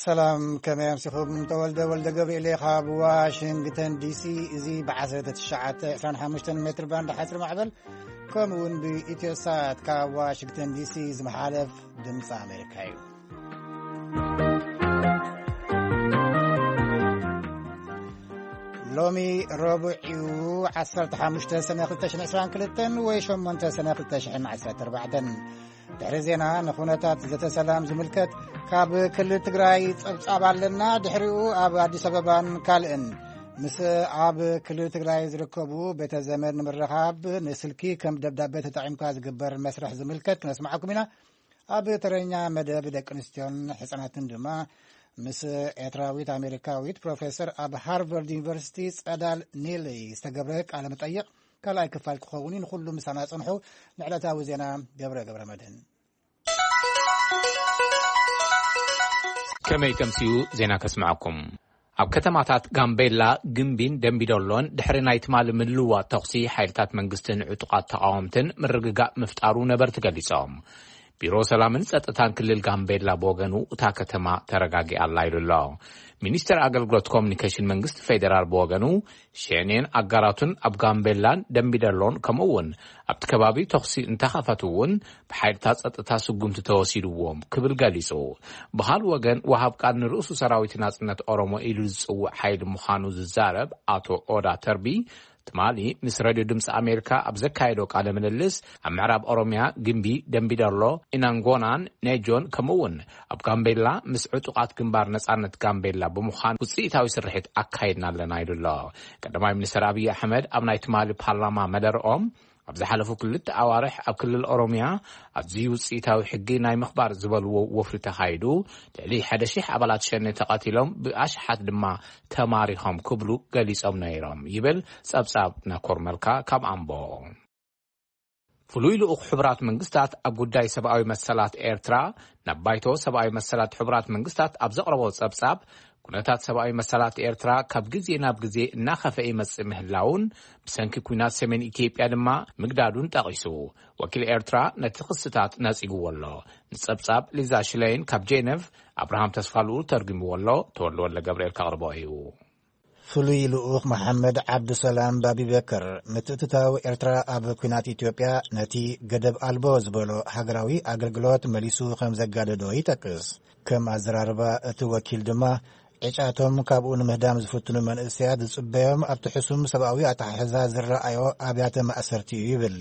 ሰላም፣ ከመይ ኣምሲኹም? ተወልደ ወልደ ገብርኤል እየ ካብ ዋሽንግተን ዲሲ። እዚ ብ1925 ሜትር ባንድ ሓፂር ማዕበል፣ ከምኡ እውን ብኢትዮሳት ካብ ዋሽንግተን ዲሲ ዝመሓለፍ ድምፂ ኣሜሪካ እዩ። ሎሚ ረቡዕ እዩ፣ 15 ሰነ 2022 ወይ 8 ሰነ 2014። ድሕሪ ዜና፣ ንኹነታት ዘተ ሰላም ዝምልከት፣ ካብ ክልል ትግራይ ጸብጻብ ኣለና። ድሕሪኡ፣ ኣብ ኣዲስ ኣበባን ካልእን ምስ ኣብ ክልል ትግራይ ዝርከቡ ቤተ ዘመድ ንምርኻብ ንስልኪ ከም ደብዳቤ ተጠቒምካ ዝግበር መስርሕ ዝምልከት ክነስምዓኩም ኢና። ኣብ ተረኛ መደብ፣ ደቂ ኣንስትዮን ህጻናትን ድማ ምስ ኤርትራዊት ኣሜሪካዊት ፕሮፌሰር ኣብ ሃርቨርድ ዩኒቨርሲቲ ጸዳል ኒል ዝተገብረ ቃለ መጠይቕ ካልኣይ ክፋል ክኸውን እዩ። ንኹሉ ምሳና ጽንሑ። ንዕለታዊ ዜና፣ ገብረ ገብረ መድህን። ከመይ ተምስዩ ዜና ከስምዓኩም። ኣብ ከተማታት ጋምቤላ፣ ግምቢን ደምቢዶሎን ድሕሪ ናይ ትማሊ ምልውዋጥ ተኹሲ ሓይልታት መንግስትን ዕጡቓት ተቓወምትን ምርግጋእ ምፍጣሩ ነበርቲ ገሊጾም። ቢሮ ሰላምን ጸጥታን ክልል ጋምቤላ ብወገኑ፣ እታ ከተማ ተረጋጊኣ ኣላ ኢሉ ኣሎ። ሚኒስተር ኣገልግሎት ኮሙኒኬሽን መንግስቲ ፌደራል ብወገኑ፣ ሸኔን ኣጋራቱን ኣብ ጋምቤላን ደምቢደሎን፣ ከምኡ እውን ኣብቲ ከባቢ ተኹሲ እንተኸፈቱ እውን፣ ብሓይልታት ጸጥታ ስጉምቲ ተወሲድዎም ክብል ገሊጹ። ብኻልእ ወገን፣ ወሃብ ቃል ንርእሱ ሰራዊት ናጽነት ኦሮሞ ኢሉ ዝጽውዕ ሓይሊ ምዃኑ ዝዛረብ ኣቶ ኦዳ ተርቢ፣ ትማሊ ምስ ሬድዮ ድምፂ ኣሜሪካ ኣብ ዘካየዶ ቃለ ምልልስ፣ ኣብ ምዕራብ ኦሮሚያ፣ ግምቢ፣ ደምቢዶሎ፣ ኢናንጎናን ኔጆን፣ ከምኡ እውን ኣብ ጋምቤላ ምስ ዕጡቓት ግንባር ነጻነት ጋምቤላ ብምዃን ውፅኢታዊ ስርሒት ኣካይድና ኣለና ኢሉ ኣሎ። ቀዳማይ ሚኒስትር ኣብይ ኣሕመድ ኣብ ናይ ትማሊ ፓርላማ መደርኦም፣ ኣብ ዝሓለፉ ክልተ ኣዋርሕ ኣብ ክልል ኦሮሚያ ኣዝዩ ውፅኢታዊ ሕጊ ናይ ምኽባር ዝበልዎ ወፍሪ ተኻይዱ፣ ልዕሊ ሓደ ሺሕ ኣባላት ሸኔ ተቐቲሎም፣ ብኣሽሓት ድማ ተማሪኾም ክብሉ ገሊጾም ነይሮም ይብል ጸብጻብ ናኮር መልካ ካብ ኣምቦ። ፍሉይ ልኡኽ ሕቡራት መንግስታት ኣብ ጉዳይ ሰብኣዊ መሰላት ኤርትራ ናብ ባይቶ ሰብኣዊ መሰላት ሕቡራት መንግስታት ኣብ ዘቕረቦ ጸብጻብ፣ ኩነታት ሰብኣዊ መሰላት ኤርትራ ካብ ግዜ ናብ ግዜ እናኸፈ ይመጽእ ምህላውን፣ ብሰንኪ ኲናት ሰሜን ኢትዮጵያ ድማ ምግዳዱን ጠቒሱ፣ ወኪል ኤርትራ ነቲ ክስታት ነጺግዎ ኣሎ። ንጸብጻብ ሊዛ ሽለይን ካብ ጄነቭ፣ ኣብርሃም ተስፋልኡል ተርጉምዎ ኣሎ። ተወልደ ወልደ ገብርኤል ከቕርቦ እዩ። ፍሉይ ልኡኽ መሓመድ ዓብዱሰላም ባቢበከር፣ ምትእትታው ኤርትራ ኣብ ኲናት ኢትዮጵያ ነቲ ገደብ ኣልቦ ዝበሎ ሃገራዊ ኣገልግሎት መሊሱ ከም ዘጋደዶ ይጠቅስ። ከም ኣዘራርባ እቲ ወኪል ድማ፣ ዕጫቶም ካብኡ ንምህዳም ዝፍትኑ መንእሰያት ዝጽበዮም ኣብቲ ሕሱም ሰብኣዊ ኣተሓሕዛ ዝረኣዮ ኣብያተ ማእሰርቲ እዩ ይብል።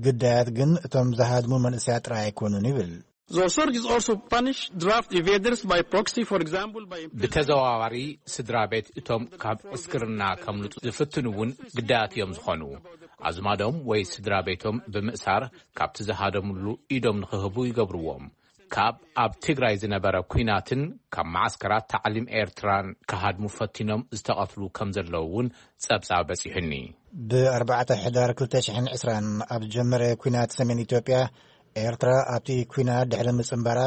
ግዳያት ግን እቶም ዝሃድሙ መንእሰያት ጥራይ ኣይኮኑን ይብል። The authorities also punish draft evaders by proxy, for example, by imprisoning. ብተዘዋዋሪ ስድራ ቤት እቶም ካብ ዕስክርና ከምልጡ ዝፍትኑ እውን ግዳያት እዮም ዝኾኑ። ኣዝማዶም ወይ ስድራ ቤቶም ብምእሳር፣ ካብቲ ዝሃደሙሉ ኢዶም ንኽህቡ ይገብርዎም። ካብ ኣብ ትግራይ ዝነበረ ኲናትን ካብ መዓስከራት ታዕሊም ኤርትራን ክሃድሙ ፈቲኖም ዝተቐትሉ ከም ዘለዉ እውን ጸብጻብ በጺሑኒ። ብ4 ሕዳር 2020 ኣብ ዝጀመረ ኲናት ሰሜን ኢትዮጵያ፣ ኤርትራ ኣብቲ ኲናት ድሕሪ ምጽንባራ፣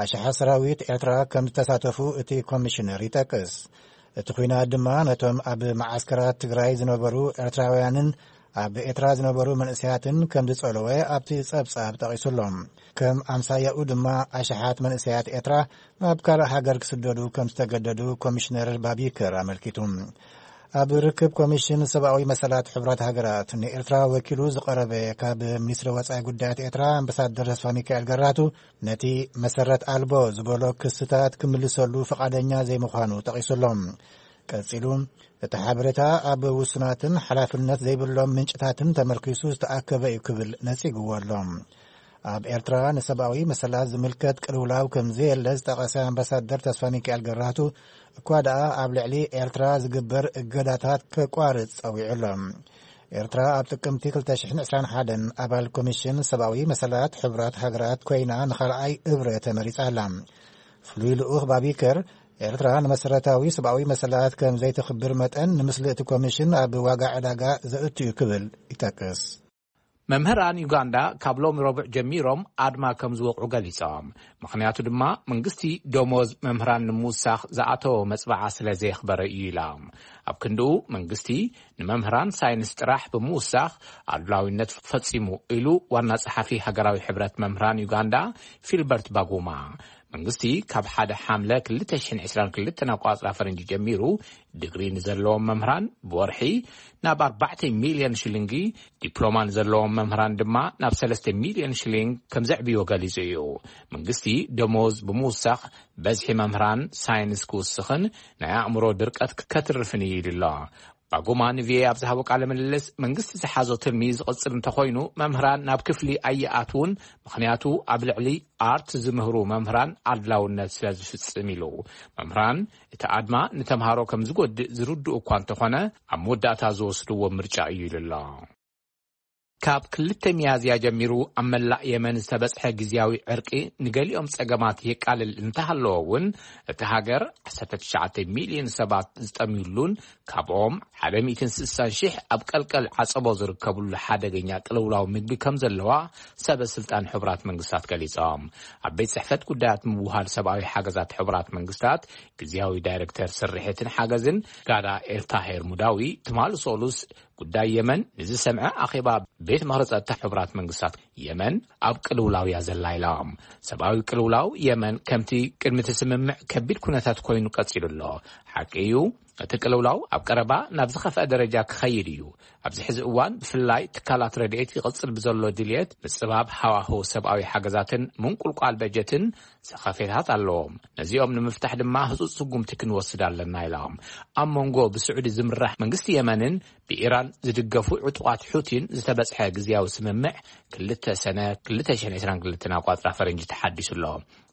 ኣሽሓት ሰራዊት ኤርትራ ከም ዝተሳተፉ እቲ ኮሚሽነር ይጠቅስ። እቲ ኲናት ድማ ነቶም ኣብ መዓስከራት ትግራይ ዝነበሩ ኤርትራውያንን ኣብ ኤርትራ ዝነበሩ መንእሰያትን ከም ዝጸለወ ኣብቲ ጸብጻብ ጠቒሱ ኣሎ። ከም ኣምሳያኡ ድማ ኣሽሓት መንእሰያት ኤርትራ ናብ ካልእ ሃገር ክስደዱ ከም ዝተገደዱ ኮሚሽነር ባቢከር ኣመልኪቱ። ኣብ ርክብ ኮሚሽን ሰብኣዊ መሰላት ሕቡራት ሃገራት ንኤርትራ ወኪሉ ዝቐረበ ካብ ሚኒስትሪ ወጻኢ ጉዳያት ኤርትራ ኣምባሳደር ተስፋ ሚካኤል ገራቱ፣ ነቲ መሰረት ኣልቦ ዝበሎ ክስታት ክምልሰሉ ፍቓደኛ ዘይምዃኑ ጠቒሱ ኣሎ። ቀጺሉ፣ እቲ ሓበሬታ ኣብ ውሱናትን ሓላፍነት ዘይብሎም ምንጭታትን ተመርኪሱ ዝተኣከበ እዩ ክብል ነጺግዎ ኣሎ። ኣብ ኤርትራ ንሰብኣዊ መሰላት ዝምልከት ቅልውላው ከም ዘየለ ዝጠቐሰ ኣምባሳደር ተስፋ ሚካኤል ገራህቱ፣ እኳ ደኣ ኣብ ልዕሊ ኤርትራ ዝግበር እገዳታት ከቋርጽ ጸዊዑ ኣሎ። ኤርትራ ኣብ ጥቅምቲ 2021 ኣባል ኮሚሽን ሰብኣዊ መሰላት ሕቡራት ሃገራት ኮይና ንኻልኣይ እብረ ተመሪጻ ኣላ። ፍሉይ ልኡኽ ባቢከር፣ ኤርትራ ንመሰረታዊ ሰብኣዊ መሰላት ከም ዘይተኽብር መጠን፣ ንምስሊ እቲ ኮሚሽን ኣብ ዋጋ ዕዳጋ ዘእቱ እዩ ክብል ይጠቅስ። መምህራን ዩጋንዳ ካብ ሎሚ ረቡዕ ጀሚሮም ኣድማ ከም ዝወቕዑ ገሊጾም። ምኽንያቱ ድማ መንግስቲ ደሞዝ መምህራን ንምውሳኽ ዝኣተዎ መጽባዓ ስለ ዘየኽበረ እዩ ኢላ። ኣብ ክንድኡ መንግስቲ ንመምህራን ሳይንስ ጥራሕ ብምውሳኽ ኣድላዊነት ፈጺሙ ኢሉ ዋና ጸሓፊ ሃገራዊ ሕብረት መምህራን ዩጋንዳ ፊልበርት ባጉማ። መንግስቲ ካብ ሓደ ሓምለ ክልተ ሽሕን ዕስራን ክልተን ኣቋጽራ ፈረንጂ ጀሚሩ፣ ድግሪ ንዘለዎም መምህራን ብወርሒ ናብ ኣርባዕተ ሚልዮን ሽሊንጊ፣ ዲፕሎማ ንዘለዎም መምህራን ድማ ናብ ሰለስተ ሚልዮን ሽሊንግ ከም ዘዕብዮ ገሊጹ እዩ። መንግስቲ ደሞዝ ብምውሳኽ፣ በዝሒ መምህራን ሳይንስ ክውስኽን ናይ ኣእምሮ ድርቀት ከትርፍን እዩ ኢሉ ኣሎ። ባጉማ ንቪኦኤ ኣብ ዝሃቦ ቃለ ምልልስ፣ መንግስቲ ዝሓዞ ትልሚ ዝቕጽል እንተኾይኑ፣ መምህራን ናብ ክፍሊ ኣይኣትዉን፣ ምኽንያቱ ኣብ ልዕሊ ኣርት ዝምህሩ መምህራን ኣድላውነት ስለ ዝፍጽም ኢሉ። መምህራን እቲ ኣድማ ንተምሃሮ ከም ዝጎድእ ዝርድኡ እኳ እንተኾነ፣ ኣብ መወዳእታ ዝወስድዎ ምርጫ እዩ ኢሉ ኣሎ። ካብ ክልተ ሚያዝያ ጀሚሩ ኣብ መላእ የመን ዝተበጽሐ ግዝያዊ ዕርቂ ንገሊኦም ጸገማት የቃልል እንተሃለወ እውን፣ እቲ ሃገር ዓሰርተ ትሽዓተ ሚልዮን ሰባት ዝጠምዩሉን ካብኦም ሓደ ሚእትን ስሳን ሽሕ ኣብ ቀልቀል ዓጸቦ ዝርከብሉ ሓደገኛ ቅልውላው ምግቢ ከም ዘለዋ ሰበ ስልጣን ሕቡራት መንግስታት ገሊጾም። ኣብ ቤት ጽሕፈት ጉዳያት ምውሃድ ሰብኣዊ ሓገዛት ሕቡራት መንግስታት ግዝያዊ ዳይሬክተር ስርሒትን ሓገዝን ጋዳ ኤልታሄር ሙዳዊ ትማሊ ሰሉስ ጉዳይ የመን ንዝሰምዐ ኣኼባ ቤት ምኽሪ ጸጥታ ሕቡራት መንግስታት፣ የመን ኣብ ቅልውላው እያ ዘላ ኢሎም። ሰብኣዊ ቅልውላው የመን ከምቲ ቅድሚ እቲ ስምምዕ ከቢድ ኩነታት ኮይኑ ቀጺሉ ኣሎ። ሓቂ እዩ፣ እቲ ቅልውላው ኣብ ቀረባ ናብ ዝኸፍአ ደረጃ ክኸይድ እዩ። ኣብዚ ሕዚ እዋን ብፍላይ ትካላት ረድኤት ይቕጽል ብዘሎ ድልየት ምጽባብ ሃዋህው ሰብኣዊ ሓገዛትን ምንቁልቋል በጀትን ሰኸፌታት ኣለዎም። ነዚኦም ንምፍታሕ ድማ ህጹጽ ስጉምቲ ክንወስድ ኣለና ኢሎም። ኣብ መንጎ ብስዑዲ ዝምራሕ መንግስቲ የመንን ብኢራን ዝድገፉ ዕጡቓት ሑቲን ዝተበጽሐ ግዝያዊ ስምምዕ ክልተ ሰነ ክልተ ሽሕን ዕስራን ክልተን ኣቋጽራ ፈረንጂ ተሓዲሱ ኣሎ።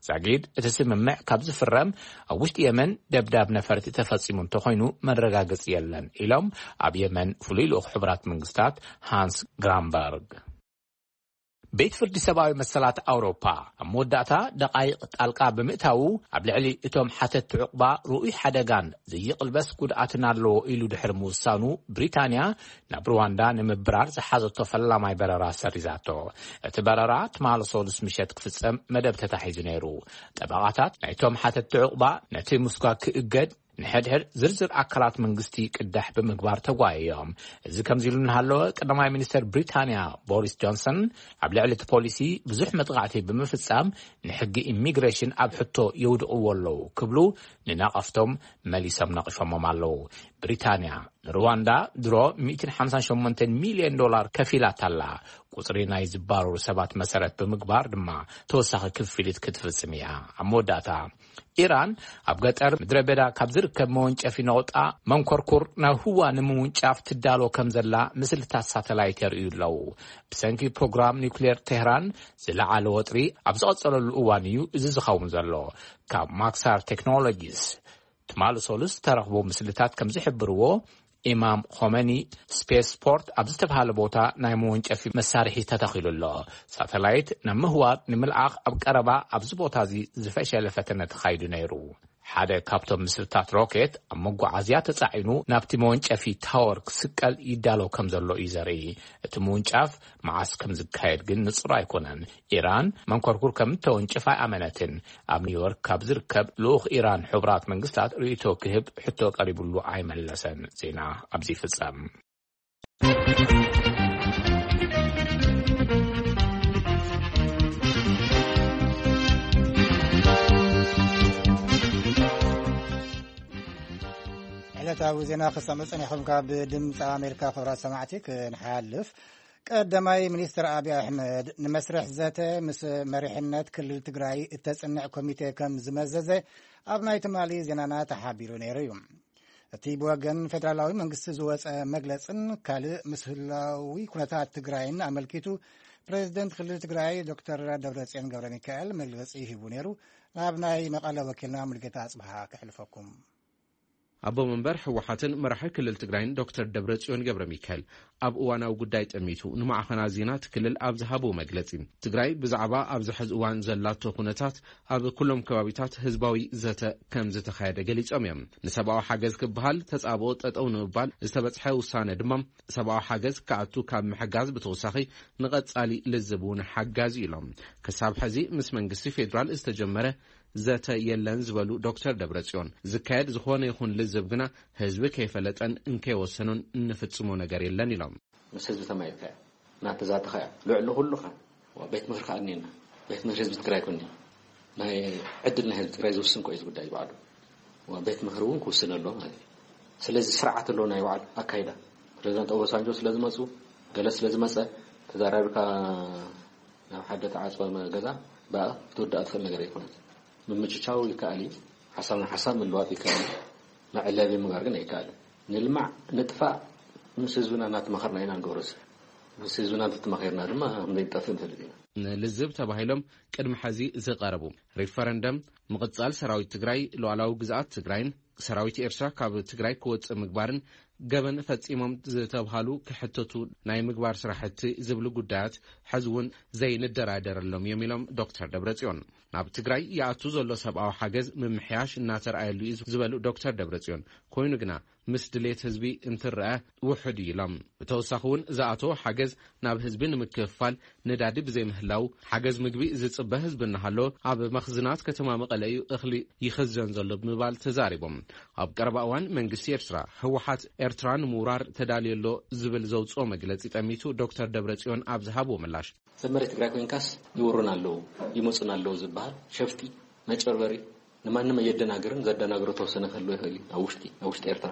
ዛጊድ እቲ ስምምዕ ካብ ዝፍረም ኣብ ውሽጢ የመን ደብዳብ ነፈርቲ ተፈጺሙ እንተኾይኑ መረጋገጺ የለን ኢሎም ኣብ የመን ፍሉይ ልኡኽ ሕቡራት መንግስታት ሃንስ ግራምበርግ። ቤት ፍርዲ ሰብኣዊ መሰላት ኣውሮፓ ኣብ መወዳእታ ደቓይቕ ጣልቃ ብምእታዉ ኣብ ልዕሊ እቶም ሓተቲ ዕቑባ ርኡይ ሓደጋን ዘይቕልበስ ጉድኣትን ኣለዎ ኢሉ ድሕሪ ምውሳኑ፣ ብሪታንያ ናብ ሩዋንዳ ንምብራር ዝሓዘቶ ፈላማይ በረራ ሰሪዛቶ። እቲ በረራ ትማሊ ሰሉስ ምሸት ክፍጸም መደብ ተታሒዙ ነይሩ። ጠበቓታት ናይቶም ሓተቲ ዕቑባ ነቲ ምስጓግ ክእገድ ንሕድሕድ ዝርዝር ኣካላት መንግስቲ ቅዳሕ ብምግባር ተጓየዮም። እዚ ከምዚ ኢሉ እናሃለወ፣ ቀዳማይ ሚኒስተር ብሪታንያ ቦሪስ ጆንሰን ኣብ ልዕሊ እቲ ፖሊሲ ብዙሕ መጥቃዕቲ ብምፍጻም ንሕጊ ኢሚግሬሽን ኣብ ሕቶ የውድቕዎ ኣለዉ ክብሉ ንነቐፍቶም መሊሶም ነቒፎሞም ኣለዉ። ብሪታንያ ንሩዋንዳ ድሮ ሚእትን ሓምሳን ሸሞንተን ሚልዮን ዶላር ከፊላታ ኣላ። ቁጽሪ ናይ ዝባረሩ ሰባት መሰረት ብምግባር ድማ ተወሳኺ ክፍሊት ክትፍጽም እያ። ኣብ መወዳእታ፣ ኢራን ኣብ ገጠር ምድረ በዳ ካብ ዝርከብ መወንጨፊ ነቑጣ መንኮርኩር ናብ ህዋ ንምውንጫፍ ትዳሎ ከም ዘላ ምስልታት ሳተላይት የርእዩ ኣለዉ። ብሰንኪ ፕሮግራም ኒውክሌር ቴህራን ዝለዓለ ወጥሪ ኣብ ዝቐጸለሉ እዋን እዩ እዚ ዝኸውን ዘሎ። ካብ ማክሳር ቴክኖሎጂስ ትማሊ ሰሉስ ዝተረኽቡ ምስልታት ከም ዝሕብርዎ፣ ኢማም ኾመኒ ስፔስ ስፖርት ኣብ ዝተባሃለ ቦታ ናይ መወንጨፊ መሳርሒ ተተኺሉ ኣሎ። ሳተላይት ናብ ምህዋር ንምልኣኽ ኣብ ቀረባ ኣብዚ ቦታ እዚ ዝፈሸለ ፈተነ ተኻይዱ ነይሩ። ሓደ ካብቶም ምስልታት ሮኬት ኣብ መጓዓዝያ ተጻዒኑ ናብቲ መወንጨፊ ታወር ክስቀል ይዳሎ ከም ዘሎ እዩ ዘርኢ። እቲ ምውንጫፍ መዓስ ከም ዝካየድ ግን ንጹር ኣይኮነን። ኢራን መንኮርኩር ከም እተወንጭፍ ኣይኣመነትን። ኣብ ኒውዮርክ ካብ ዝርከብ ልኡኽ ኢራን ሕቡራት መንግስታት ርእይቶ ክህብ ሕቶ ቀሪቡሉ ኣይመለሰን። ዜና ኣብዚ ይፍጸም። ዕለታዊ ዜና ክሰምዑ ጸኒሖም። ካብ ድምፂ ኣሜሪካ ክብራት ሰማዕቲ ክንሓልፍ፣ ቀዳማይ ሚኒስትር ኣብይ ኣሕመድ ንመስርሕ ዘተ ምስ መሪሕነት ክልል ትግራይ እተጽንዕ ኮሚቴ ከም ዝመዘዘ ኣብ ናይ ትማሊ ዜናና ተሓቢሩ ነይሩ እዩ። እቲ ብወገን ፌደራላዊ መንግስቲ ዝወጸ መግለጽን ካልእ ምስ ህላዊ ኩነታት ትግራይን ኣመልኪቱ ፕሬዚደንት ክልል ትግራይ ዶክተር ደብረጽዮን ገብረ ሚካኤል መግለጺ ሂቡ ነይሩ። ናብ ናይ መቐለ ወኪልና ሙሉጌታ ኣጽብሃ ከሕልፈኩም። ኣቦ መንበር ህወሓትን መራሒ ክልል ትግራይን ዶክተር ደብረጽዮን ገብረ ሚካኤል ኣብ እዋናዊ ጉዳይ ጠሚቱ ንማዕኸናት ዜና እቲ ክልል ኣብ ዝሃብዎ መግለጺ፣ ትግራይ ብዛዕባ ኣብዚ ሕዚ እዋን ዘላቶ ኩነታት ኣብ ኩሎም ከባቢታት ህዝባዊ ዘተ ከም ዝተኻየደ ገሊጾም እዮም። ንሰብኣዊ ሓገዝ ክበሃል ተጻብኦ ጠጠው ንምባል ዝተበጽሐ ውሳነ ድማ ሰብኣዊ ሓገዝ ክኣቱ ካብ ምሕጋዝ ብተወሳኺ ንቐጻሊ ልዝብ እውን ሓጋዚ ኢሎም። ክሳብ ሕዚ ምስ መንግስቲ ፌዴራል ዝተጀመረ ዘተ የለን ዝበሉ ዶክተር ደብረጽዮን፣ ዝካየድ ዝኾነ ይኹን ልዝብ ግና ህዝቢ ከይፈለጠን እንከይወሰኑን እንፍጽሞ ነገር የለን ኢሎም። ምስ ህዝቢ ተማይጥካ እያ፣ እናተዛተኻ እያ፣ ልዕሊ ኩሉ ኸ ቤት ምኽሪ ከኣ እኒኤና። ቤት ምኽሪ ህዝቢ ትግራይ ኮን እዩ። ናይ ዕድል ናይ ህዝቢ ትግራይ ዝውስን ኮ እዩ እዚ ጉዳይ ባዕሉ። ቤት ምኽሪ እውን ክውስን ኣለዎ ማለት እዩ። ስለዚ ስርዓት ኣለዎ ናይ ባዕሉ ኣካይዳ። ፕሬዚዳንት ኦባሳንጆ ስለ ዝመፁ፣ ገለ ስለ ዝመፀ፣ ተዛራቢካ ናብ ሓደ ተዓፅወ ገዛ ብኣ ክትውዳእ ትኽእል ነገር ኣይኮነን። ምምችቻው ይከኣል እዩ። ሓሳብ ንሓሳብ ምልዋጥ ይከኣል እዩ። መዕለቢ ምግባር ግን ኣይከኣልን። ንልማዕ ንጥፋእ ምስ ህዝብና እናተማኸርና ኢና ንገብሮ። ምስ ህዝብና እንተተማኺርና ድማ ክንደይ ንጠፍእ ንፈልጥ ኢና። ንልዝብ ተባሂሎም ቅድሚ ሕዚ ዝቐረቡ ሪፈረንደም፣ ምቕጻል ሰራዊት ትግራይ፣ ሉዓላዊ ግዝኣት ትግራይን ሰራዊት ኤርትራ ካብ ትግራይ ክወጽእ ምግባርን ገበን ፈጺሞም ዝተብሃሉ ክሕተቱ ናይ ምግባር ስራሕቲ ዝብሉ ጉዳያት ሕዚ እውን ዘይንደራደረሎም እዮም ኢሎም ዶክተር ደብረጽዮን። ናብ ትግራይ ይኣቱ ዘሎ ሰብኣዊ ሓገዝ ምምሕያሽ እናተረኣየሉ እዩ ዝበሉ ዶክተር ደብረጽዮን፣ ኮይኑ ግና ምስ ድሌት ህዝቢ እንትረአ ውሑድ እዩ ኢሎም። ብተወሳኺ እውን ዝኣተወ ሓገዝ ናብ ህዝቢ ንምክፍፋል ነዳዲ ብዘይምህላው፣ ሓገዝ ምግቢ ዝጽበ ህዝቢ እናሃሎ ኣብ መኽዝናት ከተማ መቐለ እዩ እኽሊ ይኽዘን ዘሎ ብምባል ተዛሪቦም። ኣብ ቀረባ እዋን መንግስቲ ኤርትራ ህወሓት ኤርትራ ንምውራር ተዳልዮ ኣሎ ዝብል ዘውፅኦ መግለፂ ጠሚቱ ዶክተር ደብረጽዮን ኣብ ዝሃብዎ ምላሽ፣ ሰብ መሬት ትግራይ ኮይንካስ ይወሩን ኣለዉ፣ ይመፁን ኣለዉ ዝበሃል ሸፍጢ፣ መጨርበሪ፣ ንማንም ኣየደናግርን፣ ዘደናግሮ ተወሰነ ክህልዎ ይኽእል እዩ። ኣብ ውሽጢ፣ ኣብ ውሽጢ ኤርትራ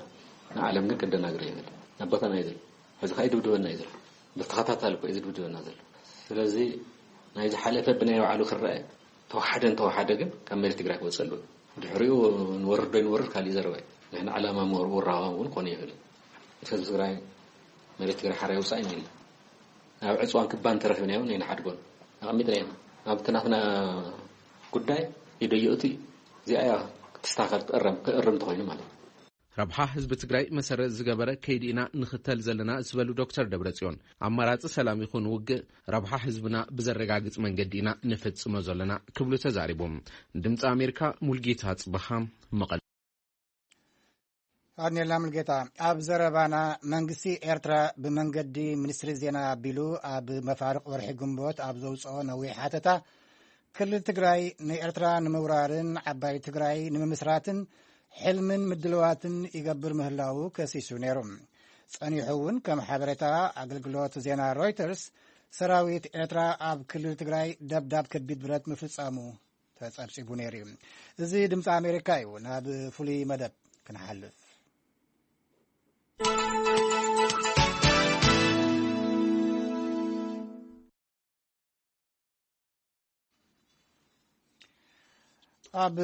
ንዓለም ግን ከደናግር ይኽእል። ኣብ ቦታና እዩ ዘሎ። ሕዚ ከዓ ይድብድበና እዩ ዘሎ። ብተኸታታሊ እኮ እዩ ዝድብድበና ዘሎ። ስለዚ ናይ ዝሓለፈ ብናይ ባዕሉ ክረአ፣ ተወሓደ እንተወሓደ ግን ካብ መሬት ትግራይ ክወፅእ ኣለዎ። ድሕሪኡ ንወርድ ዶ ይንወርድ ካሊእ ዘረባ እዩ። ንሕና ዕላማ ምውር-፣ ውራባ እውን ክኾነ ይኽእል እዩ። ህዝቢ ትግራይ መሬት ትግራይ ሓራ ይውፃእ ኢና ኢልና። ኣብ ዕፅዋን ክባን ተረኺብና እውን ኣይንሓድጎን። ኣቐሚጥና ኢና። ኣብቲ ናትና ጉዳይ ኢዶ ይእቱ እዩ። እዚኣ እያ ክትስተኻኸል፣ ክእረም፣ ክእርም እንተኾይኑ ማለት እዩ። ረብሓ ህዝቢ ትግራይ መሰረት ዝገበረ ከይዲ ኢና ንኽተል ዘለና ዝበሉ ዶክተር ደብረጽዮን፣ ኣማራፂ ሰላም ይኹን ውግእ ረብሓ ህዝብና ብዘረጋግፅ መንገዲ ኢና ንፍጽሞ ዘለና ክብሉ ተዛሪቦም። ድምፂ ኣሜሪካ፣ ሙልጌታ ጽበሃ፣ መቐለ። ኣድኔላ ሙልጌታ። ኣብ ዘረባና፣ መንግስቲ ኤርትራ ብመንገዲ ሚኒስትሪ ዜና ኣቢሉ ኣብ መፋርቕ ወርሒ ግንቦት ኣብ ዘውፅኦ ነዊሕ ሓተታ፣ ክልል ትግራይ ንኤርትራ ንምውራርን ዓባይ ትግራይ ንምምስራትን ሕልምን ምድልዋትን ይገብር ምህላዉ ከሲሱ ነይሩ። ጸኒሑ እውን፣ ከም ሓበሬታ ኣገልግሎት ዜና ሮይተርስ፣ ሰራዊት ኤርትራ ኣብ ክልል ትግራይ ደብዳብ ከቢድ ብረት ምፍጻሙ ተጸብጺቡ ነይሩ እዩ። እዚ ድምፂ ኣሜሪካ እዩ። ናብ ፍሉይ መደብ ክንሓልፍ። ኣብ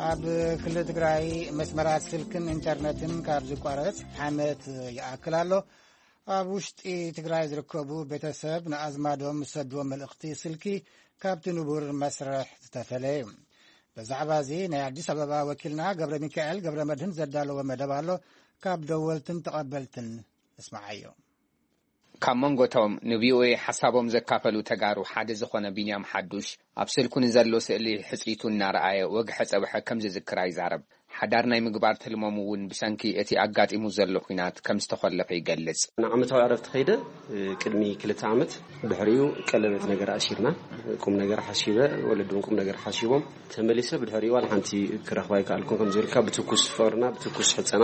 ኣብ ክልል ትግራይ መስመራት ስልክን ኢንተርነትን ካብ ዝቋረጽ ዓመት ይኣክል ኣሎ። ኣብ ውሽጢ ትግራይ ዝርከቡ ቤተሰብ ንኣዝማዶም ዝሰድዎ መልእኽቲ ስልኪ ካብቲ ንቡር መስርሕ ዝተፈለየ እዩ። ብዛዕባ እዚ ናይ ኣዲስ ኣበባ ወኪልና ገብረ ሚካኤል ገብረ መድህን ዘዳለዎ መደብ ኣሎ። ካብ ደወልትን ተቐበልትን ንስምዓዮ። ካብ መንጎ እቶም ን ቪ ኦ ኤ ሓሳቦም ዘካፈሉ ተጋሩ ሓደ ዝኾነ ቢንያም ሓዱሽ፣ ኣብ ስልኩ ንዘሎ ስእሊ ሕጽይቱ እናረኣየ ወግሐ ጸብሐ ከም ዝዝክራ ይዛረብ። ሓዳር ናይ ምግባር ትልሞም እውን ብሰንኪ እቲ ኣጋጢሙ ዘሎ ኲናት ከም ዝተኾለፈ ይገልጽ። ንዓመታዊ ዕረፍቲ ከይደ፣ እ፣ ቅድሚ ክልተ ዓመት፣ ድሕሪኡ ቀለበት ነገር ኣሲርና፣ ቁም ነገር ሓሲበ፣ ወለዲ እውን ቁም ነገር ሓሲቦም፣ ተመሊሰ ብድሕሪኡ ዋላ ሓንቲ ክረኽባ ኣይከኣልኩን። ከም ዝበልካ ብትኩስ ፍቕርና፣ ብትኩስ ሕጸና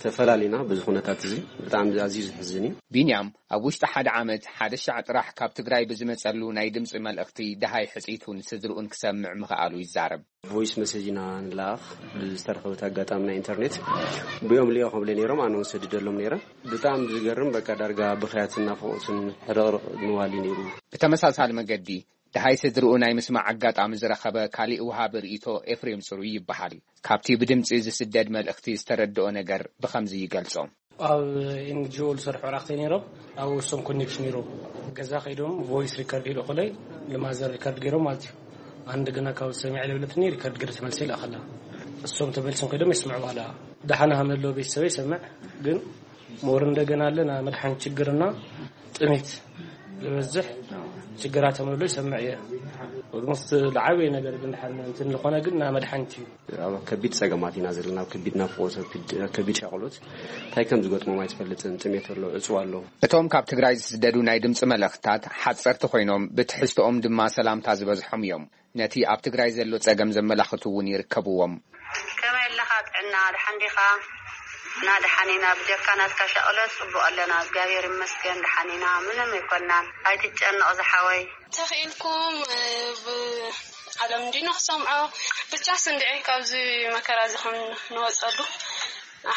ተፈላሊና። በዚ ኩነታት እዚ ብጣዕሚ ኣዝዩ ዘሕዝን እዩ። ቢንያም ኣብ ውሽጢ ሓደ ዓመት ሓደ ሻዕ ጥራሕ ካብ ትግራይ ብዝመጸሉ ናይ ድምጺ መልእኽቲ ደሃይ ሕጽይቱን ስድርኡን ክሰምዕ ምኽኣሉ ይዛረብ። ቮይስ መሴጅ ኢና ንለኣኽ ብዝተረኸበት ኣጋጣሚ ናይ ኢንተርኔት። ብኦም ልዮ ከብለ ነይሮም፣ ኣነ እውን ሰድደሎም ነይረ። ብጣዕሚ ዝገርም፣ በቃ ዳርጋ ብኽያትን ናፍቖትን ሕርቕርቕ ምባል እዩ ነይሩ። ብተመሳሳሊ መገዲ ደሃይ ስድርኡ ናይ ምስማዕ ኣጋጣሚ ዝረኸበ ካሊእ ወሃቢ ርእይቶ ኤፍሬም ጽሩይ ይበሃል። ካብቲ ብድምጺ ዝስደድ መልእኽቲ ዝተረድኦ ነገር ብኸምዚ ይገልጾ። ኣብ ኤን ጂ ኦ ዝሰርሑ ኣዕሩኽተይ ነይሮም፣ ኣብ ውሶም ኮኔክሽን ነይሮም። ገዛ ከይዶም ቮይስ ሪከርድ ይልእኹለይ፣ ንማዘር ሪከርድ ገይሮም ማለት እዩ። ኣንድ ግና ካብ ሰሚዐ ለብለትኒ ሪከርድ ገይረ ተመልሰ ይልኣኸላ። እሶም ተመልሶም ከይዶም የስምዑ በኋላ። ደሓን ሃመሎ ቤተሰበይ ይሰምዕ፣ ግን ሞር እንደገና ኣለ ና መድሓን ችግርና ጥሜት ዝበዝሕ ችግራት ተመሎ ይሰምዕ እየ። ኦልሞስት ለዓበየ ነገር ግን ደሓን እንትን ዝኾነ ግን ና መድሓኒት እዩ። ኣብ ከቢድ ጸገማት ኢና ዘለና፣ ኣብ ከቢድ ናፍቖት፣ ኣብ ከቢድ፣ ኣብ ከቢድ ሻቕሎት። እንታይ ከም ዝገጥሞም ኣይትፈልጥን። ጥሜት ኣሎ፣ ዕጽዋ ኣሎ። እቶም ካብ ትግራይ ዝስደዱ ናይ ድምፂ መልእኽትታት ሓፀርቲ ኮይኖም፣ ብትሕዝቶኦም ድማ ሰላምታ ዝበዝሖም እዮም። ነቲ ኣብ ትግራይ ዘሎ ጸገም ዘመላኽቱ እውን ይርከብዎም። ከመይ ኣለኻ? ጥዕና ድሓን ዲኻ? እና ደሓን ኢና፣ ብጀካ ናትካ ሻቕሎት ጽቡቕ ኣለና፣ እግዚኣብሔር ይመስገን፣ ደሓን ኢና፣ ምንም ኣይኮናን፣ ኣይትጨነቕ ዝሓወይ። ተኽኢልኩም፣ እ፣ ብ-፣ ዓለም እንዲኖ ክሰምዖ፣ ብቻ ስንድዒ ካብዚ መከራ እዚ ከም ንወጸሉ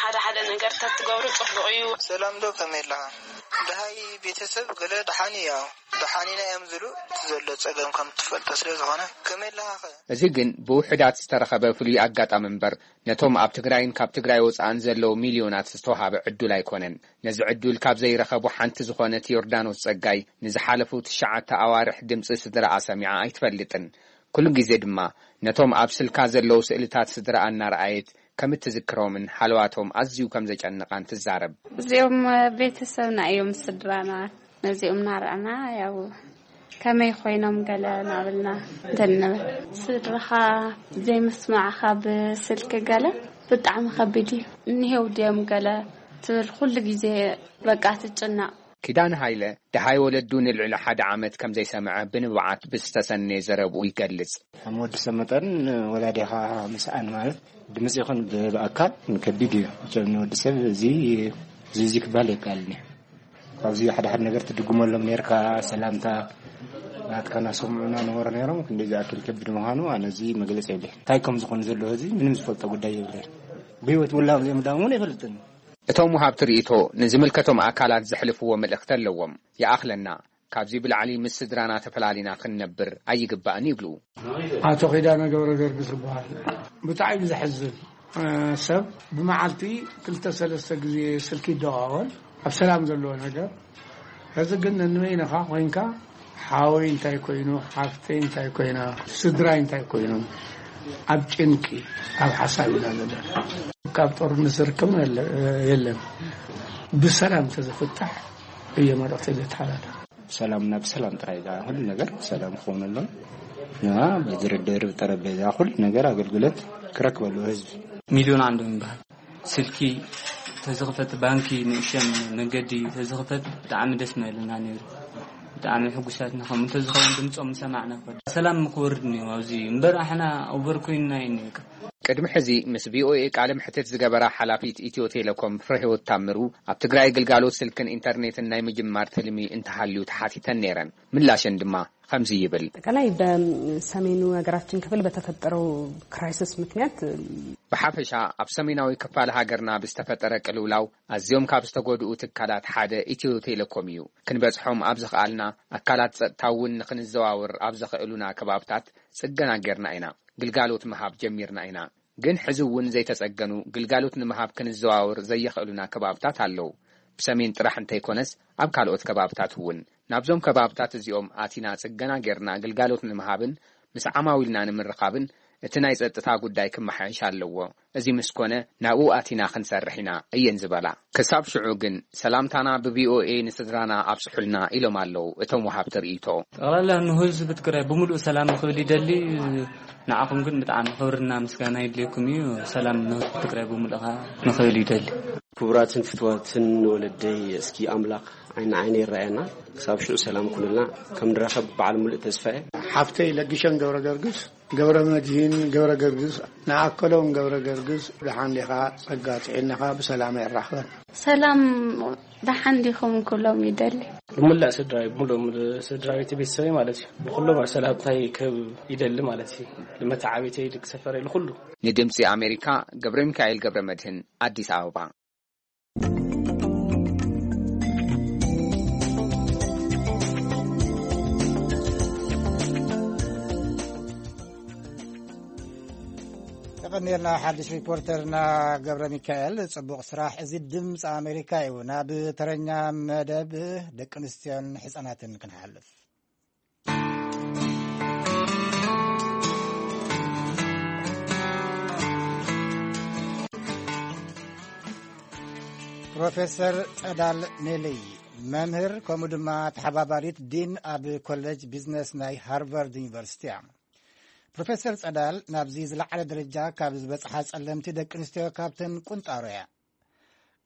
ሓደ ሓደ ነገር ተትገብሩ ጽቡቕ እዩ። ሰላም ዶ፣ ከመይ ኣለኻ? ደሃይ ቤተሰብ ገለ ደሓን እዩ፣ ያው ደሓን ኢና እዮም ዝብሉ፣ እቲ ዘሎ ጸገም ከም ትፈልጦ ስለ ዝኾነ። ከመይ ኣለኻ ኸ? እዚ ግን ብውሑዳት ዝተረኸበ ፍሉይ ኣጋጣሚ እምበር፣ ነቶም ኣብ ትግራይን ካብ ትግራይ ወጻእን ዘለዉ ሚልዮናት ዝተዋሃበ ዕዱል ኣይኮነን። ነዚ ዕዱል ካብ ዘይረኸቡ ሓንቲ ዝኾነት ዮርዳኖስ ጸጋይ፣ ንዝሓለፉ ትሽዓተ ኣዋርሕ ድምጺ ስድራኣ ሰሚዓ ኣይትፈልጥን። ኩሉ ግዜ ድማ ነቶም ኣብ ስልካ ዘለዉ ስእልታት ስድራኣ እናረኣየት ከም እትዝክሮምን ሓለዋቶም ኣዝዩ ከም ዘጨንቓን ትዛረብ። እዚኦም ቤተሰብና እዮም፣ ስድራና። ነዚኦም እናረኣና ያው ከመይ ኮይኖም ገለ እናበልና እንትን ንብል። ስድራኻ ዘይምስማዕኻ ብስልኪ ገለ ብጣዕሚ ከቢድ እዩ። እኒሄው ድዮም ገለ ትብል፣ ኩሉ ግዜ በቃ ትጭነቕ። ኪዳነ ሃይለ ደሃይ ወለዱ ንልዕሊ ሓደ ዓመት ከም ዘይሰምዐ ብንብዓት ብዝተሰነየ ዘረብኡ ይገልጽ። ከም ወዲ ሰብ መጠን ወላዲኻ ምስኣን ማለት ድምፂ ይኹን ብ-፣ ብኣካል ከቢድ እዩ። መቸም ንወዲ ሰብ እዚ፣ እዚ፣ እዚ ክበሃል ኣይከኣልን እዩ። ካብዚ ሓደ ሓደ ነገር ትድግመሎም ነርካ፣ ሰላምታ ናትካ እናሰምዑ እናነበሩ ነይሮም፣ ክንደይ ዝኣክል ከቢድ ምዃኑ ኣነ እዚ መግለፂ የብለይ። እንታይ ከም ዝኾኑ ዘለዎ እዚ ምንም ዝፈልጦ ጉዳይ የብለይ። ብህይወት ውላም እዚኦም ዳም እውን ኣይፈልጥን። እቶም ወሃብቲ ርእይቶ ንዝምልከቶም ኣካላት ዘሕልፍዎ መልእኽቲ ኣለዎም። ይኣኽለና፣ ካብዚ ብላዕሊ ምስ ስድራና ተፈላሊና ክንነብር ኣይግባእን ይብሉ። ኣቶ ኪዳነ ገብረ ገርግስ ይበሃል። ብጣዕሚ ዘሕዝን፣ እ፣ ሰብ ብመዓልቲ ክልተ ሰለስተ ግዜ ስልኪ ይደዋወል፣ ኣብ ሰላም ዘለዎ ነገር። ሕዚ ግን ነንበይንኻ ኮይንካ ሓወይ እንታይ ኮይኑ፣ ሓፍተይ እንታይ ኮይና፣ ስድራይ እንታይ ኮይኖም፣ ኣብ ጭንቂ፣ ኣብ ሓሳብ ኢና ዘለና። ካብ ጦርነት ዝርከብ የለ-፣ የለን። ብሰላም ተዘፍታሕ እየ መልእኽተይ ዘተሓላልፍ። ሰላምና ብሰላም ጥራይ፣ እዛ ኩሉ ነገር ሰላም ክኾነሎም፣ ያ ብድርድር፣ ብጠረጴዛ፣ ኩሉ ነገር ኣገልግሎት ክረክበሉ ህዝቢ። ሚልዮን ዓንዶም ይበሃል። ስልኪ ተዝኽፈት፣ ባንኪ ንእሸን መንገዲ ተዝኽፈት ብጣዕሚ ደስ ምበለና ነይሩ። ብጣዕሚ ሕጉሳትና፣ ከምኡ እንተዝኸውን ድምፆም ምሰማዕና እኮ። ሰላም ክወርድ ነይሩ ኣብዚ እምበር ኣሕና ኦቨር ኮይንና እዩ ነይሩ። ቅድሚ ሕዚ ምስ ቪኦኤ ቃለ መሕትት ዝገበራ ሓላፊት ኢትዮ ቴሌኮም ፍረህይወት ታምሩ፣ ኣብ ትግራይ ግልጋሎት ስልክን ኢንተርኔትን ናይ ምጅማር ትልሚ እንተሃልዩ ተሓቲተን ነይረን። ምላሸን ድማ ከምዚ ይብል። አጠቃላይ በሰሜኑ የሀገራችን ክፍል በተፈጠረው ክራይሲስ ምክንያት ብሓፈሻ ኣብ ሰሜናዊ ክፋል ሃገርና ብዝተፈጠረ ቅልውላው ኣዝዮም ካብ ዝተጎድኡ ትካላት ሓደ ኢትዮ ቴሌኮም እዩ። ክንበጽሖም ኣብ ዝኸኣልና፣ ኣካላት ጸጥታ እውን ንኽንዘዋወር ኣብ ዘኽእሉና ከባብታት ጽገና ጌርና ኢና። ግልጋሎት ምሃብ ጀሚርና ኢና። ግን ሕዚ እውን ዘይተጸገኑ፣ ግልጋሎት ንምሃብ ክንዘዋወር ዘየኽእሉና ከባብታት ኣለዉ። ብሰሜን ጥራሕ እንተይኮነስ ኣብ ካልኦት ከባብታት እውን። ናብዞም ከባብታት እዚኦም ኣቲና ጽገና ጌርና ግልጋሎት ንምሃብን ምስ ዓማዊልና ንምርኻብን እቲ ናይ ጸጥታ ጉዳይ ክመሓየሽ ኣለዎ። እዚ ምስ ኮነ ናብኡ ኣቲና ክንሰርሕ ኢና እየን ዝበላ። ክሳብ ሽዑ ግን ሰላምታና ብቪኦኤ ንስድራና ኣብጽሑልና ኢሎም ኣለዉ እቶም ወሃብቲ ርእይቶ። ጠቕላላ ንህዝቢ ትግራይ ብምሉእ ሰላም ንኽብል ይደሊ። ንዓኹም ግን ብጣዕሚ ክብርና ምስጋና ይድልየኩም እዩ። ሰላም ንህዝቢ ትግራይ ብምሉእ ኸዓ ንኽብል ይደሊ። ክቡራትን ፍትዋትን ወለደይ፣ እስኪ ኣምላኽ ዓይኒ ዓይኒ ይረኣየና። ክሳብ ሽዑ ሰላም ኩንልና ከም ንራኸብ በዓል ሙሉእ ተስፋ እየ። ሓፍተይ ለግሸን ገብረ ገርግስ፣ ገብረ መድሂን ገብረ ገርግስ፣ ንኣከሎም ገብረ ገርግስ፣ ደሓን ዲኻ? ጸጋ ጥዕናኻ ብሰላም የራኽበን። ሰላም፣ ደሓን ዲኹም? ኩሎም ይደሊ። ንሙላእ ስድራይ፣ ሙሉእ፣ ሙሉእ ስድራ ቤት፣ ቤተሰበይ ማለት እዩ። ንኩሎም ሰላምታይ ክህብ ይደሊ ማለት እዩ። ንመተዓቤተይ፣ ደቂ ሰፈረይ፣ ንኩሉ። ንድምጺ ኣሜሪካ ገብረ ሚካኤል ገብረ መድህን፣ ኣዲስ ኣበባ። የቐንየልና ሓድሽ ሪፖርተርና ገብረ ሚካኤል፣ ጽቡቕ ስራሕ። እዚ ድምፂ ኣሜሪካ እዩ። ናብ ተረኛ መደብ ደቂ ኣንስትዮን ሕፃናትን ክንሓልፍ። ፕሮፌሰር ጸዳል ኔልይ፣ መምህር ከምኡ ድማ ተሓባባሪት ዲን ኣብ ኮሌጅ ቢዝነስ ናይ ሃርቫርድ ዩኒቨርሲቲ እያ። ፕሮፌሰር ጸዳል ናብዚ ዝለዓለ ደረጃ ካብ ዝበጽሓ ጸለምቲ ደቂ ኣንስትዮ ካብተን ቁንጣሮ እያ።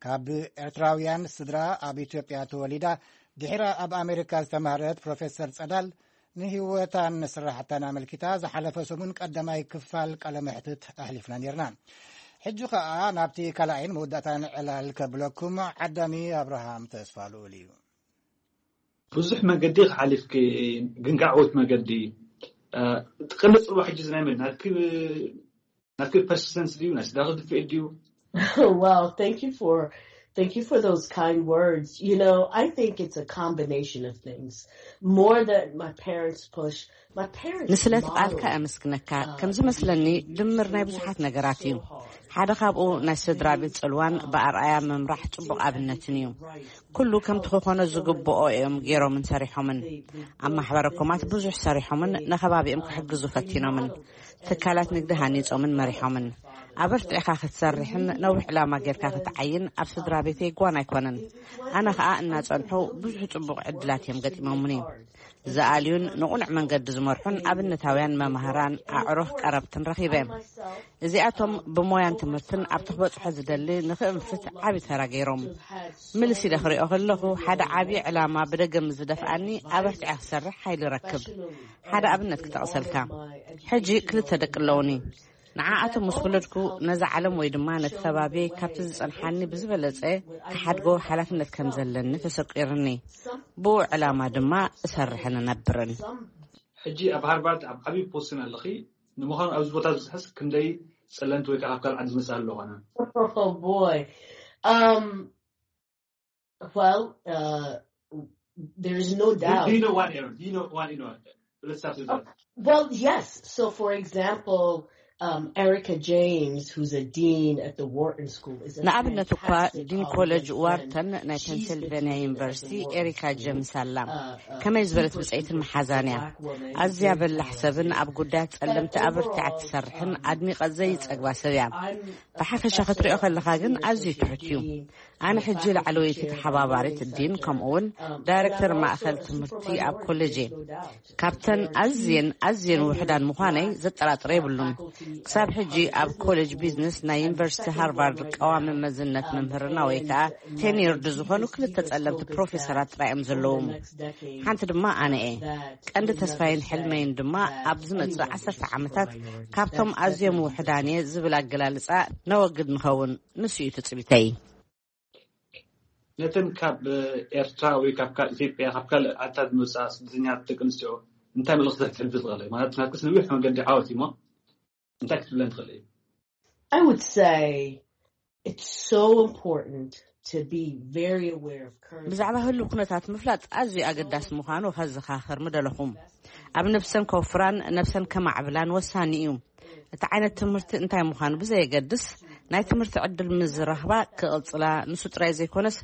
ካብ ኤርትራውያን ስድራ ኣብ ኢትዮጵያ ተወሊዳ፣ ድሒራ ኣብ ኣሜሪካ ዝተማህረት ፕሮፌሰር ጸዳል፣ ንህይወታን ስራሕታን ኣመልኪታ ዝሓለፈ ሰሙን ቀዳማይ ክፋል ቃለ መሕትት ኣሕሊፍና ነይርና። ሕጂ ከኣ ናብቲ ካልኣይን መወዳእታን ዕላል ከብለኩም ዓዳሚ ኣብርሃም ተስፋ ልኡል እዩ። ብዙሕ መገዲ ሓሊፍኪ፣ ግን ከዓወት መገዲ እ፣ እቲ ቀንዲ ጽልዋ ሕጂ እዚ ናይ መን ናትኪ ናትኪ ፐርሲስተንስ ድዩ ናይ ስድራኺ ድፍኤት ድዩ? Wow, thank you for thank you for those kind words. You know, I think it's a combination of things. More that my parents push, my parents ንስለ ቃልካ ኣመስግነካ። ከም ዝመስለኒ ድምር ናይ ብዙሓት ነገራት እዩ። ሓደ ካብኡ ናይ ስድራ ቤት ጽልዋን ብኣርኣያ ምምራሕ ጽቡቕ ኣብነትን እዩ። ኩሉ ከምቲ ክኾኖ ዝግብኦ እዮም ገይሮምን ሰሪሖምን። ኣብ ማሕበረ ኮማት ብዙሕ ሰሪሖምን ንከባቢኦም ክሕግዙ ፈቲኖምን። ትካላት ንግዲ ሃኒጾምን መሪሖምን። ኣበርቲዕካ ክትሰርሕን ነዊሕ ዕላማ ጌርካ ክትዓይን ኣብ ስድራ ቤተይ ጓን ኣይኮነን። ኣነ ኸኣ እናጸንሑ ብዙሕ ጽቡቕ ዕድላት እዮም ገጢሞምኒ። ዝኣልዩን ንቑኑዕ መንገዲ ዝመርሑን ኣብነታውያን መማህራን ኣዕሩኽ ቀረብትን ረኺበ። እዚኣቶም ብሞያን ትምህርትን ኣብቲ ክበጽሖ ዝደሊ ንኽእንፍት ዓቢ ተራ ገይሮም። ምልስ ኢለ ክሪኦ ከለኹ ሓደ ዓቢ ዕላማ ብደገ ምስ ዝደፍኣኒ ኣበርቲዐ ክሰርሕ ሓይሊ ረክብ። ሓደ ኣብነት ክጠቕሰልካ። ሕጂ ክልተ ደቂ ኣለውኒ። ንዓኣቶም ምስ ወለድኩ ነዛ ዓለም ወይ ድማ ነቲ ከባቢ ካብቲ ዝጸንሓኒ ብዝበለጸ ክሓድጎ ሓላፍነት ከም ዘለኒ ተሰቂርኒ። ብኡ ዕላማ ድማ እሰርሕን እነብርን። ሕጂ ኣብ ሃርቫርድ ኣብ ዓብዪ ፖስትን ኣለኺ። ንምዃኑ ኣብዚ ቦታ ዝበፅሐስ ክንደይ ፀለምቲ ወይ ከዓ ካብ ካልእ ዓዲ ዝመፅእ ኣሎ ኾነ? Oh boy. Um, well, uh, there is no Do doubt. you know one, Aaron? Do you know one, you know? Let's start with that. Well, yes. So, for example, um, Erica James, who's a dean at the Wharton School, is a ንኣብነት እኳ fantastic ዲን colleague ኮሌጅ and ዋርተን friend. ናይ She's been ፔንሲልቬንያ teaching at the ዩኒቨርሲቲ Wharton ኤሪካ School. ጀምስ ኣላ። Uh, uh, ከመይ ዝበለት super, ብፀይትን super መሓዛን እያ። black woman ኣዝያ who's በላሕ ሰብን ኣብ ጉዳያት ጸለምቲ ኣበርቲዓ ትሰርሕን ኣድሚቐ ዘይጸግባ ሰብ እያ። ብሓፈሻ ክትሪኦ ከለኻ ግን ኣዝዩ ትሑት እዩ። ኣነ ሕጂ ላዕለወይቲ ተሓባባሪት ዲን ከምኡውን ዳይሬክተር ማእኸል ትምህርቲ ኣብ ኮሌጅ እየ። ካብተን ኣዝየን ኣዝየን ውሕዳን ምዃነይ ዘጠራጥር የብሉን። ክሳብ ሕጂ ኣብ ኮሌጅ ቢዝነስ ናይ ዩኒቨርሲቲ ሃርቫርድ ቀዋሚ መዝነት መምህርና ወይ ከዓ ቴኒርድ ዝኾኑ ክልተ ጸለምቲ ፕሮፌሰራት ጥራይ እዮም ዘለዎም። ሓንቲ ድማ ኣነ እየ። ቀንዲ ተስፋይን ሕልመይን ድማ ኣብ ዝመጽእ ዓሰርተ ዓመታት ካብቶም ኣዝዮም ውሕዳን እየ ዝብል ኣገላልጻ ነወግድ ንኸውን። ንሱ እዩ ትጽቢተይ። ነተን ካብ ኤርትራ ወይ ካብ ካልእ ኢትዮጵያ ካብ ካልእ ዓድታት ዝመፃ ስደተኛታት ደቂ ኣንስትዮ እንታይ መልእኽቲ ክትሕልፊ ትኽእሊ? ማለት ናትክስ ነዊሕ መንገዲ ዓወት እዩሞ እንታይ ክትብለን ትኽእሊ? I would say it's so important to be very aware of current ብዛዕባ ህሉ ኩነታት ምፍላጥ ኣዝዩ ኣገዳሲ ምዃኑ ከዘኻኽር ምደለኹም። ኣብ ነብሰን ከውፍራን ነብሰን ከማዕብላን ወሳኒ እዩ። እቲ ዓይነት ትምህርቲ እንታይ ምዃኑ ብዘየገድስ ናይ ትምህርቲ ዕድል ምስ ዝረኽባ ክቕጽላ ንሱ ጥራይ ዘይኮነስ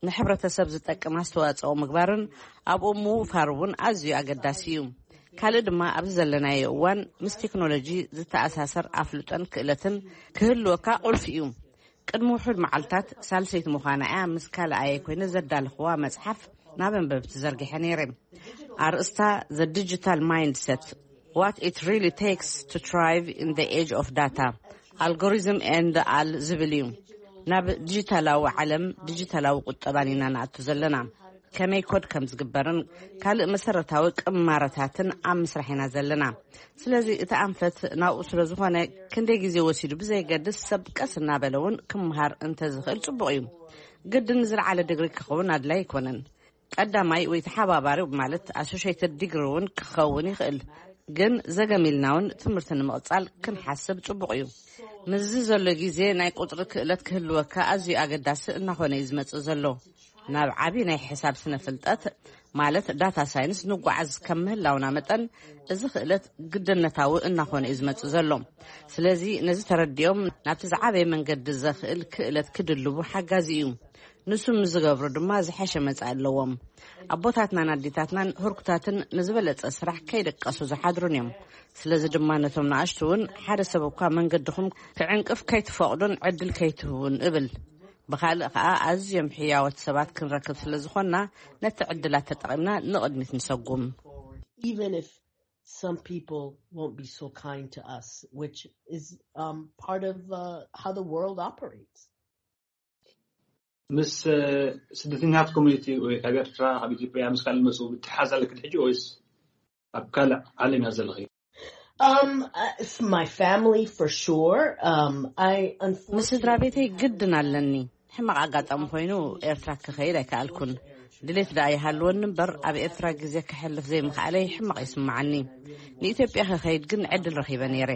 ንሕብረተሰብ ዝጠቅም ኣስተዋጽኦ ምግባርን ኣብኡ ምውፋር እውን ኣዝዩ ኣገዳሲ እዩ። ካልእ ድማ ኣብዚ ዘለናዮ እዋን ምስ ቴክኖሎጂ ዝተኣሳሰር ኣፍልጦን ክእለትን ክህልወካ ቁልፊ እዩ። ቅድሚ ውሑድ መዓልታት ሳልሰይቲ ምዃና እያ ምስ ካልኣየ ኮይነ ዘዳለኽዋ መጽሓፍ ናብ ኣንበብቲ ዘርጊሐ ነይረ። ኣርእስታ The Digital Mindset: What It Really Takes to Thrive in the Age of Data, Algorithm and All ዝብል እዩ። ናብ ዲጂታላዊ ዓለም ዲጂታላዊ ቁጠባን ኢና ንኣቱ ዘለና። ከመይ ኮድ ከም ዝግበርን ካልእ መሰረታዊ ቅማረታትን ኣብ ምስራሕ ኢና ዘለና። ስለዚ እቲ ኣንፈት ናብኡ ስለ ዝኾነ ክንደይ ግዜ ወሲዱ ብዘየገድስ ሰብ ቀስ እናበለ እውን ክምሃር እንተዝኽእል ጽቡቕ እዩ። ግድን ዝለዓለ ድግሪ ክኸውን ኣድላይ ኣይኮነን። ቀዳማይ ወይ ተሓባባሪ ማለት ኣሶሽየትድ ዲግሪ እውን ክኸውን ይኽእል። ግን ዘገም ኢልና እውን ትምህርቲ ንምቕጻል ክንሓስብ ጽቡቕ እዩ። ምስዚ ዘሎ ግዜ ናይ ቁጽሪ ክእለት ክህልወካ ኣዝዩ ኣገዳሲ እናኾነ እዩ ዝመጽእ ዘሎ። ናብ ዓቢ ናይ ሕሳብ ስነ ፍልጠት ማለት ዳታ ሳይንስ ንጓዓዝ ከም ምህላውና መጠን እዚ ክእለት ግድነታዊ እናኾነ እዩ ዝመጽእ ዘሎ። ስለዚ ነዚ ተረዲኦም ናብቲ ዝዓበየ መንገዲ ዘኽእል ክእለት ክድልቡ ሓጋዚ እዩ። ንሱ ምስ ዝገብሩ ድማ ዝሐሸ መጻኢ ኣለዎም። ኣቦታትናን ኣዴታትናን ህርኩታትን ንዝበለጸ ስራሕ ከይደቀሱ ዝሓድሩን እዮም። ስለዚ ድማ ነቶም ንኣሽቱ እውን ሓደ ሰብ እኳ መንገድኹም ክዕንቅፍ ከይትፈቕዱን ዕድል ከይትህቡን እብል። ብኻልእ ኸኣ ኣዝዮም ሕያዎት ሰባት ክንረክብ ስለ ዝኾንና ነቲ ዕድላት ተጠቒምና ንቕድሚት ንሰጉም። Even if some people won't be so kind to us, which is um, part of uh, how the world operates. ምስ እ፣ ስደተኛታት ኮሚኒቲ ወይ ካብ ኤርትራ ካብ ኢትዮጵያ ምስ ካልእ መፁ ምትሓዝ ኣለክን ሕጂ ወይስ ኣብ ካልእ ዓለም እያ ዘለኺ? Um, uh, it's my family for sure. Um, I unfortunately. ንስድራ ቤተይ ግድን ኣለኒ። ሕማቕ ኣጋጣሚ ኮይኑ ኤርትራ ክኸይድ ኣይከኣልኩን። ድሌት ደኣ ይሃልወኒ እምበር፣ ኣብ ኤርትራ ግዜ ከሕልፍ ዘይምኽኣለይ ሕማቕ ይስምዓኒ። ንኢትዮጵያ ክኸይድ ግን ዕድል ረኺበ ነይረ።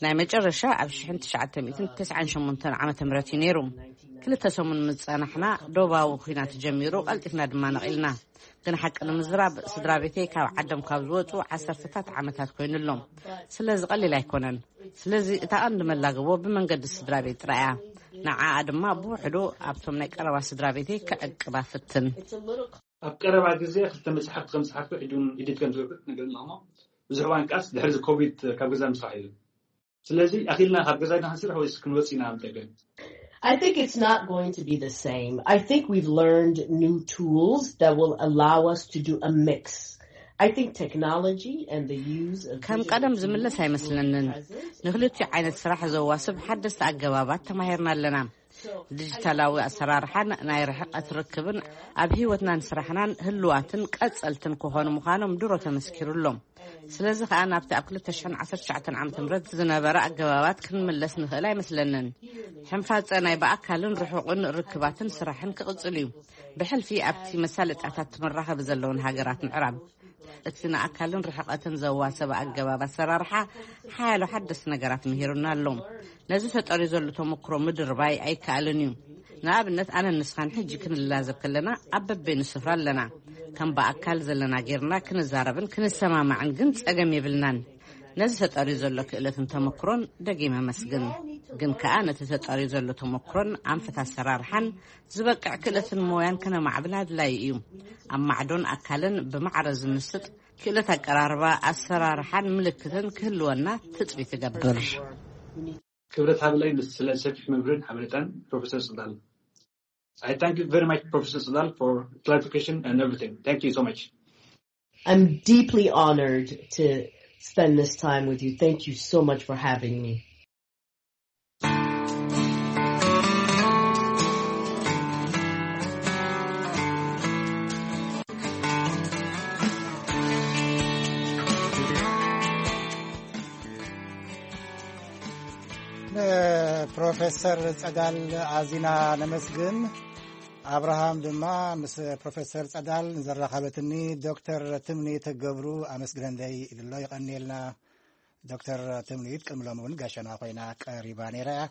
ናይ መጨረሻ ኣብ ሽሕን ትሽዓተ ሚእትን ተስዓን ሸሞንተን ዓመተ ምህረት እዩ ነይሩ። ክልተ ሰሙን ምስ ጸናሕና፣ ዶባዊ ኲናት ጀሚሩ፣ ቀልጢፍና ድማ ነቒልና። ግን ሓቂ ንምዝራብ፣ ስድራ ቤተይ ካብ ዓዶም ካብ ዝወጹ ዓሰርተታት ዓመታት ኮይኑ ኣሎ። ስለዚ ቀሊል ኣይኮነን። ስለዚ እታ ቀንዲ መላግቦ ብመንገዲ ስድራ ቤት ጥራይ እያ። ንዓኣ ድማ ብውሕዱ ኣብቶም ናይ ቀረባ ስድራ ቤተይ ከዕቅባ ፍትን። ኣብ ቀረባ ግዜ ክልተ መጽሓፍቲ ከም ዝጸሓፍኩ ሕጂ እውን ኤዲት ከም ዝገብር ነገር ኣለኹ። ብዙሕ እዋን ቃስ ድሕሪ እዚ ኮቪድ ካብ ገዛ ምስራሕ እዩ። ስለዚ ኣኺልና ካብ ገዛ ኢና ክንስራሕ ወይስ ክንወጽእ ኢና ኣብ ደገ? I think it's not going to be the same. I think we've learned new tools that will allow us to do a mix. I think technology and the use of ከም digital ቀደም ዝምለስ tools will be ኣይመስለንን። Present. ንክልቲኡ ዓይነት ስራሕ ዘዋስብ ሓደስቲ ኣገባባት ተማሂርና ኣለና። ዲጂታላዊ ኣሰራርሓን ናይ ርሕቀት ርክብን ኣብ ህይወትናን ስራሕናን ህልዋትን ቀጸልትን ክኾኑ ምዃኖም ድሮ ተመስኪሩ ኣሎ። ስለዚ ከኣ ናብቲ ኣብ ክልተ ሽሕን ዓሰርተ ትሽዓተን ዓመተ ምህረት ዝነበረ ኣገባባት ክንምለስ ንኽእል ኣይመስለንን። ሕንፋጸ ናይ ብኣካልን ርሑቕን ርክባትን ስራሕን ክቕጽል እዩ። ብሕልፊ ኣብቲ መሳለጥያታት መራኸቢ ዘለውን ሃገራት ምዕራብ። እቲ ንኣካልን ርሕቀትን ዘዋሰበ ኣገባብ ኣሰራርሓ ሓያሎ ሓደስቲ ነገራት ምሂሩና ኣሎ። ነዚ ተጠርዩ ዘሎ ተመክሮ ምድርባይ ኣይከኣልን እዩ። ንኣብነት፣ ኣነን ንስኻን ሕጂ ክንላዘብ ከለና ኣብ በበይኑ ስፍራ ኣለና። ከም ብኣካል ዘለና ጌርና ክንዛረብን ክንሰማማዕን ግን ጸገም የብልናን። ነዚ ተጠርዩ ዘሎ ክእለትን ተመክሮን ደጊመ መስግን። ግን ከኣ ነቲ ተጠርዩ ዘሎ ተመክሮን ኣንፈት ኣሰራርሓን ዝበቅዕ ክእለትን ሞያን ከነማዕብል ኣድላዪ እዩ። ኣብ ማዕዶን ኣካልን ብማዕረ ዝምስጥ ክእለት ኣቀራርባ፣ ኣሰራርሓን ምልክትን ክህልወና ትጽቢት እገብር። ክብረት ሃብለይ ምስ ስለ ሰፊሕ መብርህን ሓበሬታን ፕሮፌሰር ጽዳል። I thank you very much, Professor Sadal, for clarification and everything. Thank you so much. I'm deeply honored to spend this time with you. Thank you so much for having me. ንፕሮፌሰር ጸዳል ኣዚና ነመስግን። ኣብርሃም ድማ ምስ ፕሮፌሰር ጸዳል ንዘራኸበትኒ ዶክተር ትምኒት ገብሩ ኣመስግነለይ ኢሉ ኣሎ። ይቐንየልና። ዶክተር ትምኒት ቅድሚ ሎሚ እውን ጋሻና ኮይና ቀሪባ ነይራ እያ።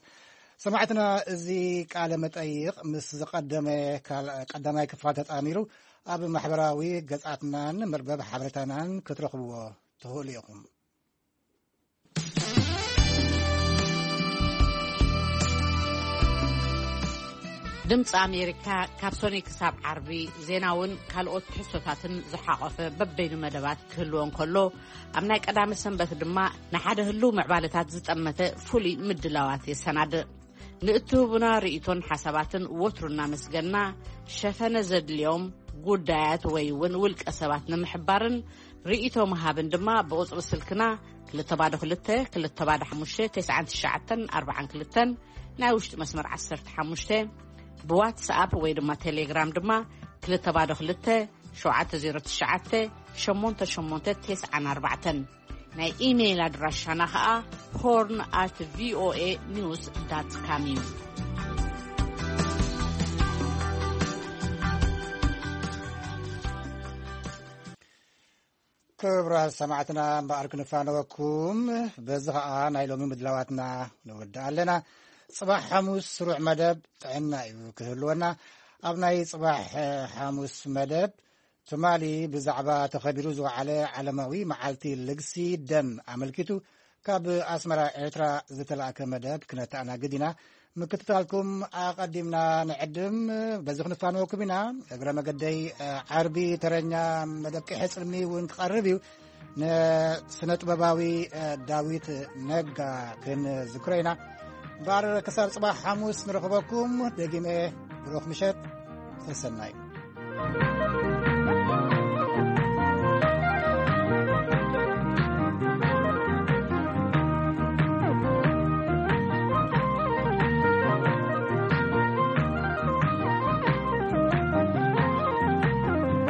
ሰማዕትና፣ እዚ ቃለ መጠይቕ ምስ ዝቐደመ ካል-፣ ቀዳማይ ክፋል ተጣሚሩ ኣብ ማሕበራዊ ገጻትናን መርበብ ሓበሬታናን ክትረኽብዎ ትኽእሉ ኢኹም። ድምፂ ኣሜሪካ ካብ ሶኒ ክሳብ ዓርቢ ዜናውን ካልኦት ትሕዝቶታትን ዝሓቖፈ በበይኑ መደባት ክህልዎ እንከሎ፣ ኣብ ናይ ቀዳመ ሰንበት ድማ ንሓደ ህልው ምዕባለታት ዝጠመተ ፍሉይ ምድላዋት የሰናድእ። ንእትህቡና ርእይቶን ሓሳባትን ወትሩ እናመስገና፣ ሸፈነ ዘድልዮም ጉዳያት ወይ እውን ውልቀ ሰባት ንምሕባርን ርእይቶ ምሃብን ድማ ብቁጽሪ ስልክና ክልተ ባዶ ክልተ፣ ክልተ ባዶ ሓሙሽተ፣ ተስዓን ትሽዓተን ኣርባዓን ክልተን፣ ናይ ውሽጢ መስመር ዓሰርተ ሓሙሽተ፣ ብዋትስኣፕ ወይ ድማ ቴሌግራም ድማ ክልተ ባዶ ክልተ፣ ሸውዓተ ዜሮ ትሽዓተ፣ ሸሞንተ ሸሞንተ ተስዓን ኣርባዕተን። ናይ ኢሜይል ኣድራሻና ኸኣ ሆርን ኣት ቪኦኤ ኒውስ ዳት ካም እዩ። ክቡራት ሰማዕትና፣ እምበኣር ክንፋነወኩም፣ በዚ ኸኣ ናይ ሎሚ ምድላዋትና ንውድእ ኣለና። ጽባሕ ሓሙስ ስሩዕ መደብ ጥዕና እዩ ክህልወና። ኣብ ናይ ጽባሕ ሓሙስ መደብ፣ ትማሊ ብዛዕባ ተኸቢሩ ዝወዓለ ዓለማዊ መዓልቲ ልግሲ ደም ኣመልኪቱ ካብ ኣስመራ ኤርትራ ዝተላእከ መደብ ክነተኣናግድ ኢና። ምክትታልኩም ኣቐዲምና ንዕድም። በዚ ክንፋነወኩም ኢና። እግረ መገደይ፣ እ፣ ዓርቢ ተረኛ መደብ ቅሐ ጽልሚ እውን ክቐርብ እዩ። ንስነ ጥበባዊ፣ እ፣ ዳዊት ነጋ ክንዝክሮ ኢና። እምበኣር ክሳብ ጽባሕ ሓሙስ ንረኽበኩም። ደጊመ ብሩኽ ምሸት፣ ሰሰናዩ።